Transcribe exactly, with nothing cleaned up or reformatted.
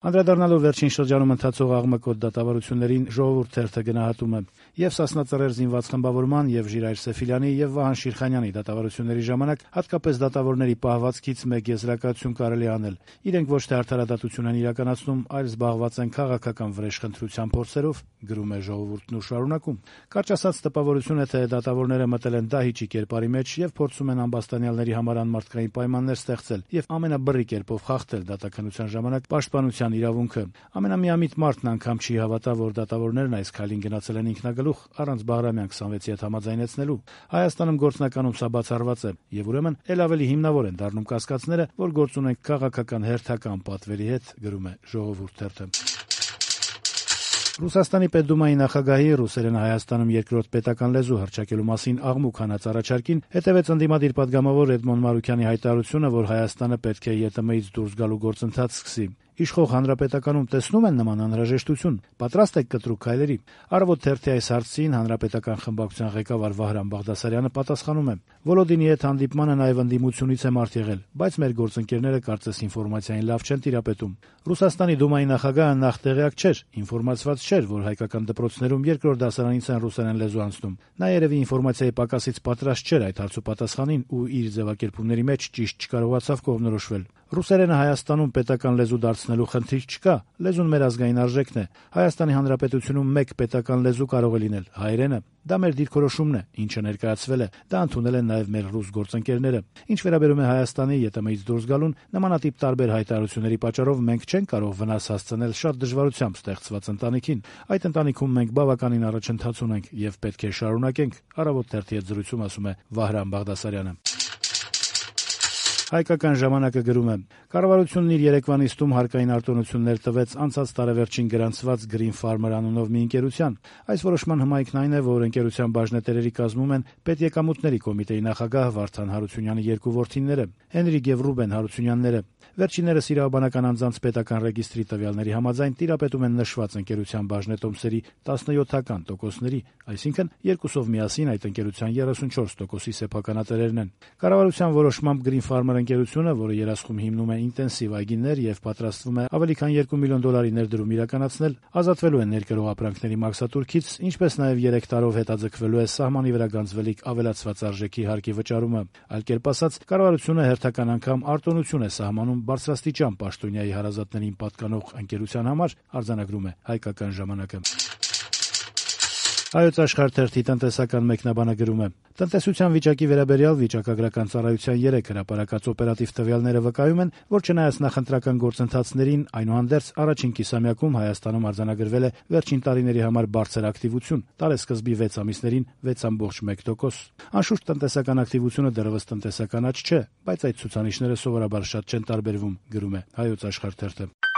Անդրադառնալով վերջին շրջանում ընթացող աղմկոտ դատավարություններին, Ժողովուրդ թերթը գնահատում է. «Եվ Սասնա-Ծռեր զինված խմբավորման, եւ Ժիրայր Սեֆիլյանի, եւ Վահան Շիրխանյանի դատավարությունների ժամանակ հատկապես դատավորների պահվածքից մեկ եզրակացություն կարելի անել. իրենք ոչ թե արդարադատություն են իրականացնում, այլ զբաղված են քաղաքական վրեժխնդրության փորձերով», գրում է Ժողովուրդն ու շարունակում. «Կարճ ասած, տպավորություն է, թե դատավորները մտել են դահիճի կերպարի մեջ եւ փորձում են ամբաստանյալների համար անմարդկային պայմաններ ստեղծել եւ ամենաբռի կերպով խախտել դատաքննության ժամանակ պաշտպանության իրավունքը։ Ամենամիամիտ մարդն անգամ չի հավատա, որ դատավորներն այս քայլին գնացել են ինքնագլուխ, առանց Բաղրամյան քսանվեցի հետ համաձայնեցնելու։ Հայաստանում գործնականում սա բացառված է, եւ ուրեմն ել ավելի հիմնավոր են դառնում կասկածները, որ գործ ունենք քաղաքական հերթական պատվերի հետ», գրում է Ժողովուրդ թերթը։ Ռուսաստանի Պետդումայի նախագահի ռուսերենը Հայաստանում երկրորդ պետական լեզու հռչակելու մասին աղմուկ հանած առաջարկին հետևեց ընդդիմադիր պատգամավոր Էդմոն Մարուքյանի հայտարարությունը, որ Հայաստանը պետք է ԵՏՄ-ից դուրս գալու գործընթաց սկսի։ Իշխող հանրապետականում տեսնում են նման անհրաժեշտություն, պատրաստ եք կտրուկ քայլերի։ Առավոտ թերթի այս հարցին հանրապետական խմբակցության ղեկավար Վահրամ Բաղդասարյանը պատասխանում է. «Վոլոդինի հետ հանդիպմանը նաև ընդդիմությունից է մարդ եղել, բայց մեր գործընկերները կարծես ինֆորմացիային լավ չեն տիրապետում։ Ռուսաստանի Դումայի նախագահը նախ տեղյակ չէր, ինֆորմացված չէր, որ հայկական դպրոցներում երկրորդ դասարանից են ռուսերեն լեզու անցնում։ Նա երևի ինֆորմացիայի պակասից պատրաստ չէր այդ հարցու պատասխանին ու իր ձևակերպումների մեջ ճիշտ չկարողացավ կողմնորոշվել։ Ռուսերենը Հայաստանում պետական լեզու դարձնելու խնդիր չկա, լեզուն մեր ազգային արժեքն է։ Հայաստանի Հանրապետությունում մեկ պետական լեզու կարող է լինել՝ հայերենը։ Դա մեր դիրքորոշումն է, ինչը ներկայացվել է, դա ընդունել են նաև մեր ռուս գործընկերները։ Ինչ վերաբերում է Հայաստանի ԵՏՄ-ից դուրս գալուն, նմանատիպ տարբեր հայտարարությունների պատճառով մենք չենք կարող վնաս հասցնել շատ դժվարությամբ ստեղծված ընտանիքին։ Այդ ընտանիքում մենք բավականին առաջընթաց ունենք եւ պետք է շարունակենք», Առավոտ թերթի հետ զրույցում ասում է Վահրամ Բաղդասարյանը։ Հայկական ժամանակը գրում է. «Կառավարությունն իր երեկվա նիստում հարկային արտոնություններ տվեց անցած տարեվերջին գրանցված Green Farmer անունով մի ընկերության։ Այս որոշման հմայքն այն է, որ ընկերության բաժնետերերի կազմում են Պետեկամուտների կոմիտեի նախագահ Վարդան Հարությունյանի երկու որդիները՝ Հենրիկ եւ Ռուբեն Հարությունյանները։ Վերջիններս իրավաբանական անձանց պետական ռեգիստրի տվյալների համաձայն տիրապետում են նշված ընկերության բաժնետոմսերի տասնյոթ տոկոսների, այսինքն երկուսով միասին այդ ընկերության երեսունչորս տոկոսի սեփականատերերն են։ Կառավարության որոշմամբ Green Farmer ընկերությունը, որը երասխում հիմնում է ինտենսիվ այգիներ եւ պատրաստվում է ավելի քան երկու միլիոն դոլարի ներդրում իրականացնել, ազատվելու է ներկրող ապրանքների մաքսատուրքից, ինչպես նաեւ երեք տարով հետաձգվելու է սահմանի վրա գանձվելիք ավելացված արժեքի հարկի վճարումը։ Այլ կերպ ասած, կառավարությունը հերթական անգամ արտոնություն է սահմանում բարձրաստիճան պաշտոնյայի հարազատներին պատկանող ընկերության համար, արձանագրում է Հայկական ժամանակը։ Հայոց Աշխարհ թերթի տնտեսական մեկնաբանը գրում է. «Տնտեսության վիճակի վերաբերյալ վիճակագրական ծառայության երեք հրապարակած օպերատիվ տվյալները վկայում են, որ չնայած նախընտրական գործընթացներին, այնուհանդերձ առաջին կիսամյակում Հայաստանում արձանագրվել է վերջին տարիների համար բարձր ակտիվություն՝ տարեսկզբի վեց ամիսներին վեց կόμma մեկ տոկոս։ Անշուշտ տնտեսական ակտիվությունը դեռևս տնտեսական աճ չէ, բայց այդ ցուցանիշները սովորաբար շատ չեն տարբերվում», գրում է Հայոց Աշխարհ թերթը։